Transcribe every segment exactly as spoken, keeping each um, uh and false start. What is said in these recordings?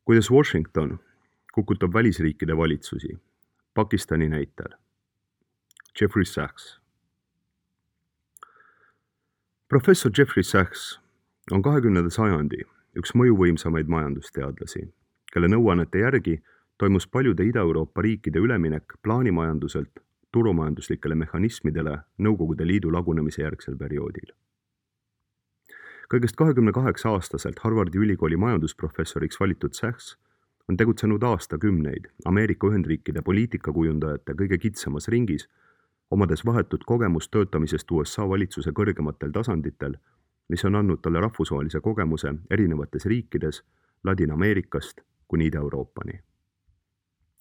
Kuidas Washington kukutab välisriikide valitsusi, Pakistani näitel. Jeffrey Sachs. Professor Jeffrey Sachs on kahekümnenda sajandi üks mõjuvõimsamaid majandusteadlasi, kelle nõuannete järgi toimus paljude Ida-Euroopa riikide üleminek plaanimajanduselt turumajanduslikele mehhanismidele Nõukogude Liidu lagunemise järgsel perioodil. Kõigest kahekümne kaheksa aastaselt Harvardi ülikooli majandusprofessoriks valitud Sachs on tegutsenud aastakümneid Ameerika Ühendriikide poliitikakujundajate kõige kitsamas ringis, omades vahetut kogemust töötamisest U S A valitsuse kõrgematel tasanditel, mis on andnud talle rahvusvahelise kogemuse erinevates riikides Ladina-Ameerikast kuni Ida-Euroopani.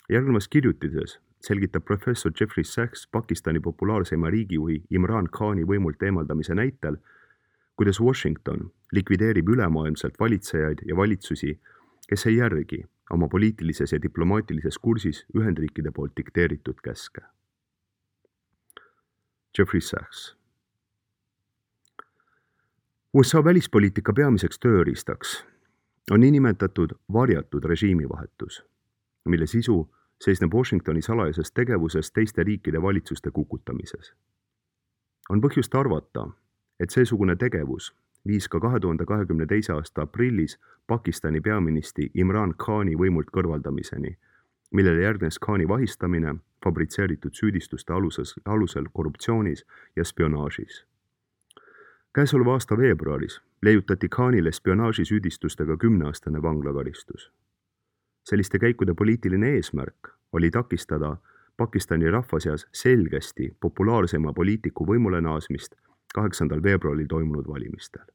Järgnevas kirjutises selgitab professor Jeffrey Sachs Pakistani populaarseima riigijuhi Imran Khani võimult eemaldamise näitel, kuidas Washington likvideerib ülemaailmselt valitsejaid ja valitsusi, kes ei järgi oma poliitilises ja diplomaatilises kursis Ühendriikide poolt dikteeritud käske. Jeffrey Sachs. U S A välispoliitika peamiseks tööriistaks on niinimetatud varjatud režiimivahetus, mille sisu seisneb Washingtoni salajases tegevuses teiste riikide valitsuste kukutamises. On põhjust arvata, et seesugune tegevus viis ka kahe tuhande kahekümne teise aasta aprillis Pakistani peaministri Imran Khani võimult kõrvaldamiseni, millele järgnes Khani vahistamine fabritseeritud süüdistuste aluses, alusel korruptsioonis ja spionaažis. Käesoleva aasta veebruaris leiutati Khanile spionaažisüüdistustega kümneaastane vanglakaristus. Selliste käikude poliitiline eesmärk oli takistada Pakistani rahva seas selgesti populaarsema poliitiku võimule naasmist kaheksandal veebruaril toimunud valimistel.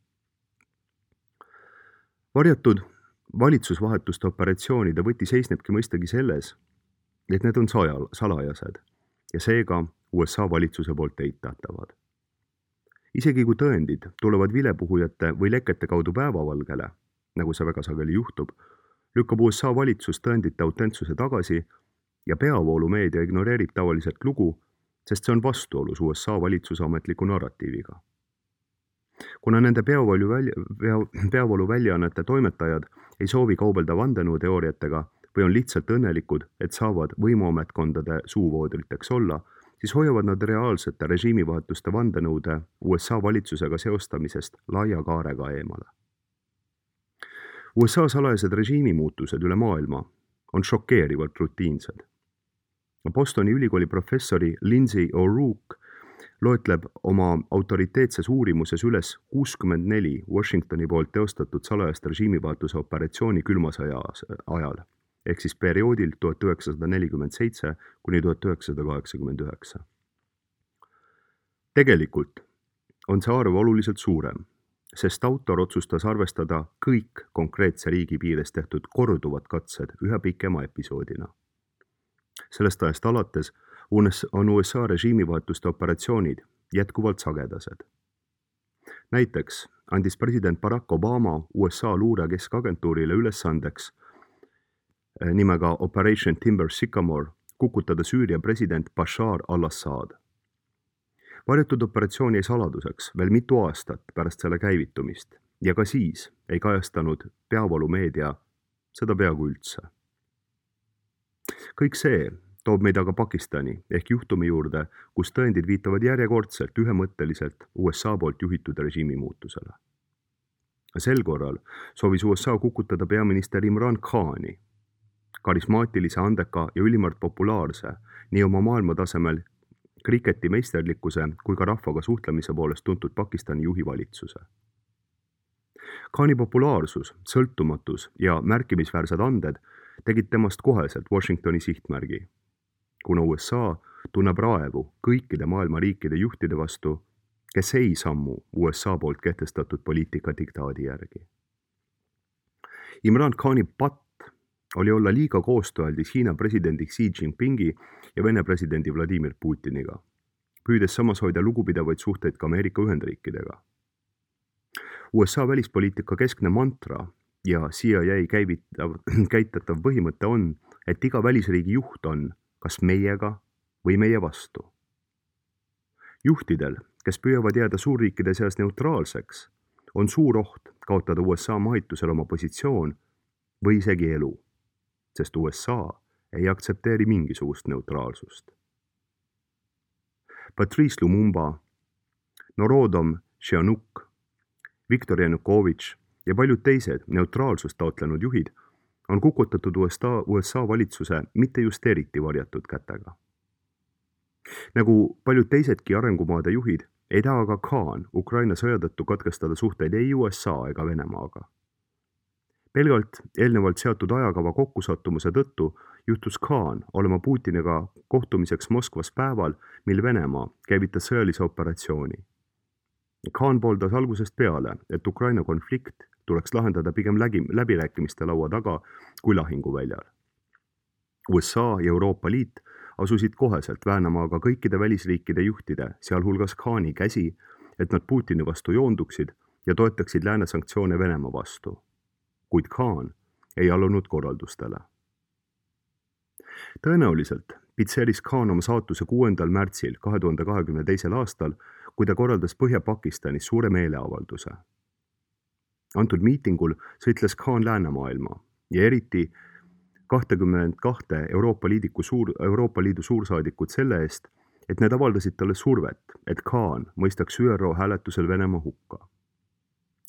Varjatud valitsusvahetuste operatsioonide võti seisnebki mõistagi selles, et need on salajased ja seega U S A valitsuse poolt eitatavad. Isegi kui tõendid tulevad vilepuhujate või lekete kaudu päevavalgele, nagu see väga sageli juhtub, lükkab U S A valitsus tõendite autentsuse tagasi ja peavoolumeedia ignoreerib tavaliselt lugu, sest see on vastuolus U S A valitsuse ametliku narratiiviga. Kuna nende peavoolu, välja, peavoolu väljaannete toimetajad ei soovi kaubelda vandenõuteooriatega või on lihtsalt õnnelikud, et saavad võimuametkondade suuvoodriteks olla, siis hoiavad nad reaalsete režiimivahetuste vandenõude U S A valitsusega seostamisest laia kaarega eemale. U S A salajased režiimimuutused üle maailma on šokeerivalt rutiinsed. Bostoni ülikooli professori Lindsay O'Rourke loetleb oma autoriteetses uurimuses üles kuuskümmend neli Washingtoni poolt teostatud salajast režiimivahetuse operatsiooni külmasõja ajal, ehk siis perioodil tuhat üheksasada nelikümmend seitse kuni tuhat üheksasada kaheksakümmend üheksa. Tegelikult on see arv oluliselt suurem, sest autor otsustas arvestada kõik konkreetse riigi piires tehtud korduvad katsed ühe pikema episoodina. Sellest ajast alates on U S A režiimivahetuste operatsioonid jätkuvalt sagedased. Näiteks andis president Barack Obama U S A luure keskagentuurile ülesandeks nimega Operation Timber Sycamore kukutada Süüria president Bashar al-Assad. Varjatud operatsioon jäi saladuseks veel mitu aastat pärast selle käivitumist ja ka siis ei kajastanud peavoolumeedia seda peaaegu üldse. Kõik see toob meid aga Pakistani ehk juhtumi juurde, kus tõendid viitavad järjekordselt ühemõtteliselt U S A poolt juhitud režiimimuutusele. Sel korral soovis U S A kukutada peaminister Imran Khani, karismaatilise, andeka ja ülimalt populaarse nii oma maailmatasemel kriketi meisterlikkuse kui ka rahvaga suhtlemise poolest tuntud Pakistani juhi valitsuse. Khani populaarsus, sõltumatus ja märkimisväärsed anded tegid temast koheselt Washingtoni sihtmärgi, kuna U S A tunneb raevu kõikide maailma riikide juhtide vastu, kes ei sammu U S A poolt kehtestatud poliitika diktaadi järgi. Imran Khani patt oli olla liiga koostööaldis Hiina presidendi Xi Jinpingi ja Vene presidendi Vladimir Putiniga, püüdes samas hoida lugupidavaid suhteid ka Ameerika Ühendriikidega. U S A välispoliitika keskne mantra ja C I A käivitav, käitatav põhimõte on, et iga välisriigi juht on kas meiega või meie vastu. Juhtidel, kes püüavad jääda suurriikide seas neutraalseks, on suur oht kaotada U S A mahitusel oma positsioon või isegi elu, sest U S A ei aktsepteeri mingisugust neutraalsust. Patrice Lumumba, Norodom Sihanouk, Viktor Janukovitš ja paljud teised neutraalsust taotlenud juhid on kukutatud U S A, U S A valitsuse mitte just eriti varjatud kätega. Nagu paljud teisedki arengumaade juhid, ei taha ka Khan Ukraina sõja tõttu katkestada suhteid ei U S A ega Venemaaga. Pelgalt eelnevalt seatud ajakava kokkusattumuse tõttu juhtus Khan olema Putiniga kohtumiseks Moskvas päeval, mil Venemaa käivitas sõjalise operatsiooni. Khan pooldas algusest peale, et Ukraina konflikt tuleks lahendada pigem läbi, läbirääkimiste laua taga kui lahinguväljal. U S A ja Euroopa Liit asusid koheselt väänama aga kõikide välisriikide juhtide, sealhulgas Khani käsi, et nad Putini vastu joonduksid ja toetaksid lääne sanktsioone Venemaa vastu. Kuid Khan ei allunud korraldustele. Tõenäoliselt pitseris Khan oma saatuse kuuendal märtsil kahe tuhande kahekümne teisel aastal, kui ta korraldas Põhja-Pakistanis suure meeleavalduse. Antud miitingul sõitles Khan läänemaailma ja eriti kakskümmend kaks Euroopa Liidu, suur, Euroopa Liidu suursaadikut selle eest, et need avaldasid talle survet, et Khan mõistaks Ü R O hääletusel Venemaa hukka.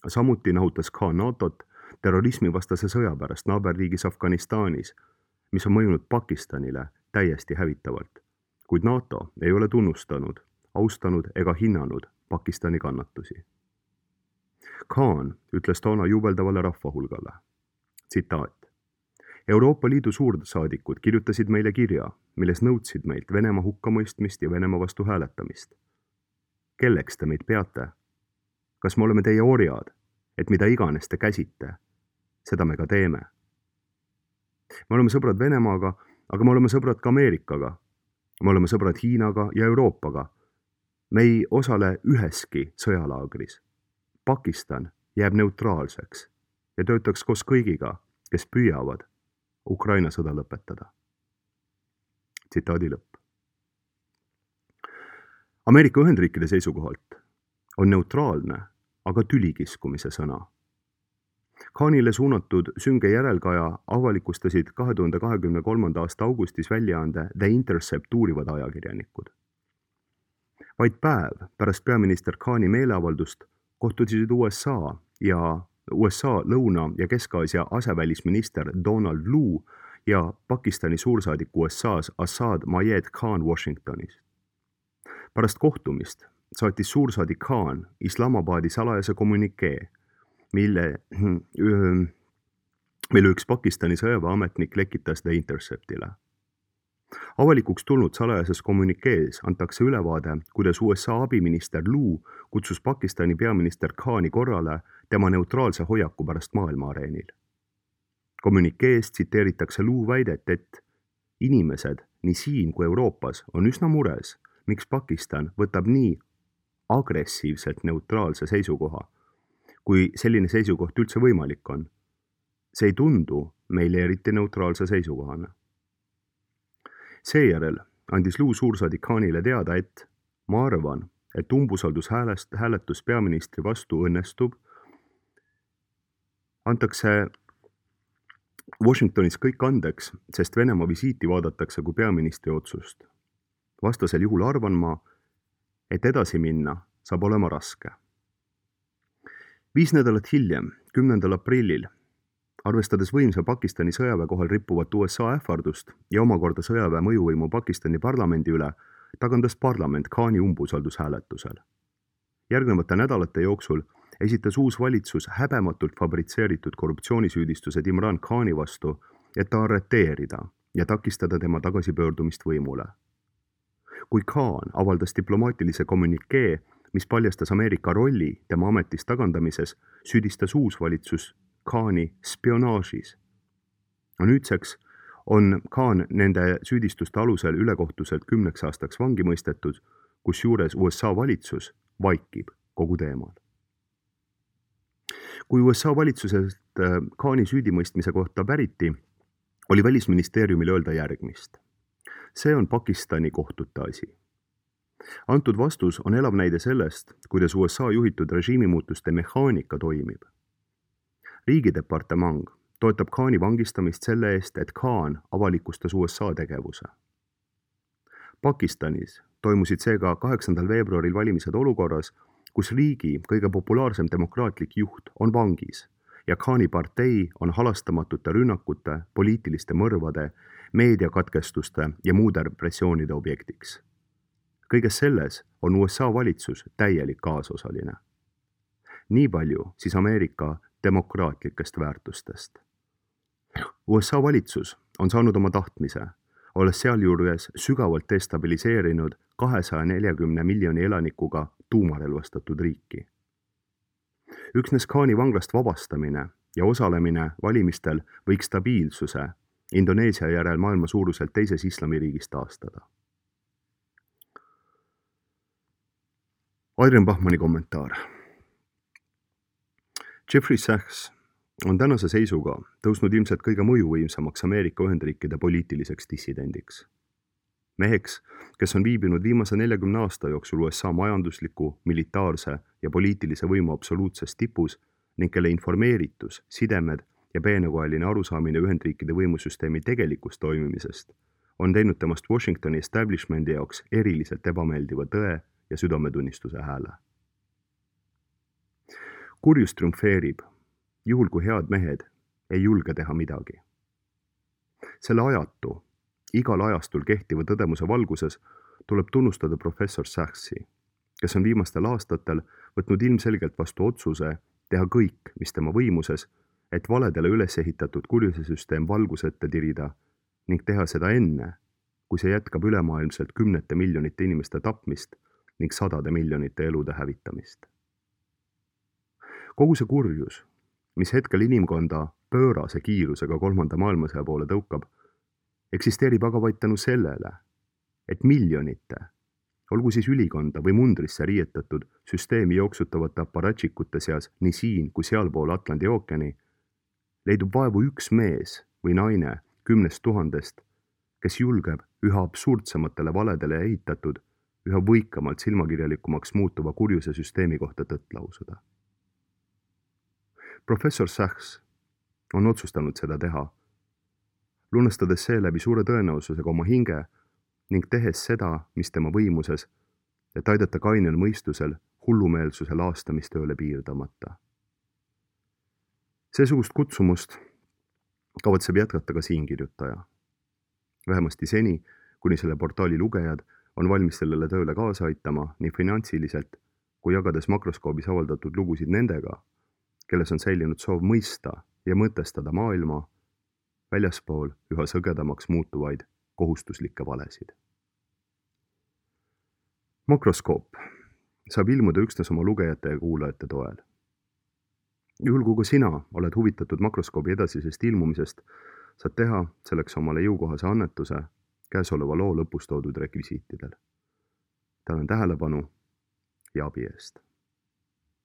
Samuti nahutas Khan NATOt terrorismivastase sõja pärast naaberriigis Afganistanis, mis on mõjunud Pakistanile täiesti hävitavalt, kuid NATO ei ole tunnustanud, austanud ega hinnanud Pakistani kannatusi. Khan ütles toona jubeldavale rahvahulgale, tsitaat: Euroopa Liidu suursaadikud kirjutasid meile kirja, milles nõudsid meilt Venemaa hukkamõistmist ja Venemaa vastu hääletamist. Kelleks te meid peate? Kas me oleme teie orjad, et mida iganes te käsite? Seda me ka teeme. Me oleme sõbrad Venemaaga, aga me oleme sõbrad ka Ameerikaga. Me oleme sõbrad Hiinaga ja Euroopaga. Me ei osale üheski sõjalaagris. Pakistan jääb neutraalseks ja töötaks koos kõigiga, kes püüavad Ukraina sõda lõpetada. Tsitaadi lõpp. Ameerika Ühendriikide seisukohalt on neutraalne, aga tülikiskumise sõna. Khanile suunatud sünge järelkaja avalikustasid kahe tuhande kahekümne kolmanda aasta augustis väljaande The Intercept uurivad ajakirjanikud. Vaid päev pärast peaminister Khani meeleavaldust kohtusid U S A ja U S A Lõuna- ja Kesk-Aasia asevälisminister Donald Lu ja Pakistani suursaadik U S A-s Asad Mayed Khan Washingtonis. Pärast kohtumist saatis suursaadik Khan Islamabadi salajase kommunikee, mille, mille üks Pakistani sõjaväeametnik lekitas The Interceptile. Avalikuks tulnud salajases kommunikees antakse ülevaade, kuidas U S A abiminister Lu kutsus Pakistani peaminister Khani korrale tema neutraalse hoiaku pärast maailmaareenil. Kommunikees tsiteeritakse Lu väidet, et inimesed nii siin kui Euroopas on üsna mures, miks Pakistan võtab nii agressiivselt neutraalse seisukoha, kui selline seisukoht üldse võimalik on. See ei tundu meile eriti neutraalse seisukohana. Seejärel andis Lu suursaadik Khanile teada, et ma arvan, et umbusaldushäälest hääletus peaministri vastu õnnestub, antakse Washingtonis kõik andeks, sest Venemaa visiiti vaadatakse kui peaministri otsust. Vastasel juhul arvan ma, et edasi minna saab olema raske. Viis nädalat hiljem, kümnendal aprillil, arvestades võimsa Pakistani sõjaväe kohal rippuvat U S A ähvardust ja omakorda sõjaväe mõjuvõimu Pakistani parlamendi üle, tagandas parlament Khani umbusaldushääletusel. Järgnevate nädalate jooksul esitas uus valitsus häbematult fabritseeritud korruptsioonisüüdistused Imran Khani vastu, et ta arreteerida ja takistada tema tagasipöördumist võimule. Kui Khan avaldas diplomaatilise kommunikee, mis paljastas Ameerika rolli tema ametist tagandamises, süüdistas uus valitsus Khani spionaažis. Nüüdseks on Khan nende süüdistuste alusel ülekohtuselt kümneks aastaks vangi mõistetud, kus juures U S A valitsus vaikib kogu teemal. Kui U S A valitsusest Khani süüdimõistmise kohta päriti, oli välisministeeriumil öelda järgmist. See on Pakistani kohtute asi. Antud vastus on elav näide sellest, kuidas U S A juhitud režiimimuutuste mehaanika toimib. Riigidepartement toetab Khani vangistamist selle eest, et Khan avalikustas U S A tegevuse. Pakistanis toimusid seega kaheksandal veebruaril valimised olukorras, kus riigi kõige populaarsem demokraatlik juht on vangis ja Khani partei on halastamatute rünnakute, poliitiliste mõrvade, meediakatkestuste ja muude repressioonide objektiks. Kõiges selles on U S A valitsus täielik kaasosaline. Nii palju siis Ameerika demokraatlikest väärtustest. U S A valitsus on saanud oma tahtmise, olles sealjuures sügavalt destabiliseerinud kahesaja neljakümne miljoni elanikuga tuumarelvastatud riiki. Üksnes Khani vanglast vabastamine ja osalemine valimistel võiks stabiilsuse Indoneesia järel maailma suuruselt teises islamiriigis taastada. Adrian Bachmanni kommentaar. Jeffrey Sachs on tänase seisuga tõusnud ilmselt kõige mõjuvõimsamaks Ameerika Ühendriikide poliitiliseks dissidendiks. Meheks, kes on viibinud viimase neljakümne aasta jooksul U S A majandusliku, militaarse ja poliitilise võimu absoluutses tipus ning kelle informeeritus, sidemed ja peenekoeline arusaamine Ühendriikide võimusüsteemi tegelikust toimimisest on teinud temast Washingtoni establishmendi jaoks eriliselt ebameeldiva tõe ja südametunnistuse hääle. Kurjus triumfeerib, juhul kui head mehed ei julge teha midagi. Selle ajatu, igal ajastul kehtiva tõdemuse valguses tuleb tunnustada professor Sachsi, kes on viimastel aastatel võtnud ilmselgelt vastu otsuse teha kõik, mis tema võimuses, et valedele üles ehitatud kurjuse süsteem valgusette tirida ning teha seda enne, kui see jätkab ülemaailmselt kümnete miljonite inimeste tapmist ning sadade miljonite elude hävitamist. Kogu see kurjus, mis hetkel inimkonda pöörase kiirusega kolmanda maailmasõja poole tõukab, eksisteerib aga vaid tänu sellele, et miljonite, olgu siis ülikonda või mundrisse riietatud süsteemi jooksutavate aparatšikute seas nii siin kui sealpool Atlandi ookeani, leidub vaevu üks mees või naine kümnest tuhandest, kes julgeb üha absurdsematele valedele ehitatud, üha võikamalt silmakirjalikumaks muutuva kurjuse süsteemi kohta tõtt lausuda. Professor Sachs on otsustanud seda teha, lunastades seeläbi suure tõenäosusega oma hinge ning tehes seda, mis tema võimuses, et aidata kainel mõistusel hullumeelsuse laastamistööle piirdamata. Seesugust kutsumust kavatseb jätkata ka siinkirjutaja. Vähemasti seni, kuni selle portaali lugejad on valmis sellele tööle kaasa aitama nii finantsiliselt, kui jagades makroskoobis avaldatud lugusid nendega, kelles on säilinud soov mõista ja mõtestada maailma väljaspool üha sõgedamaks muutuvaid kohustuslikke valesid. Makroskoop saab ilmuda üksnes oma lugejate ja kuulajate toel. Juhul kui ka sina oled huvitatud makroskoobi edasisest ilmumisest, saad teha selleks omale jõukohase annetuse käesoleva loo lõpus toodud rekvisiitidel. Tänan tähelepanu ja abi eest.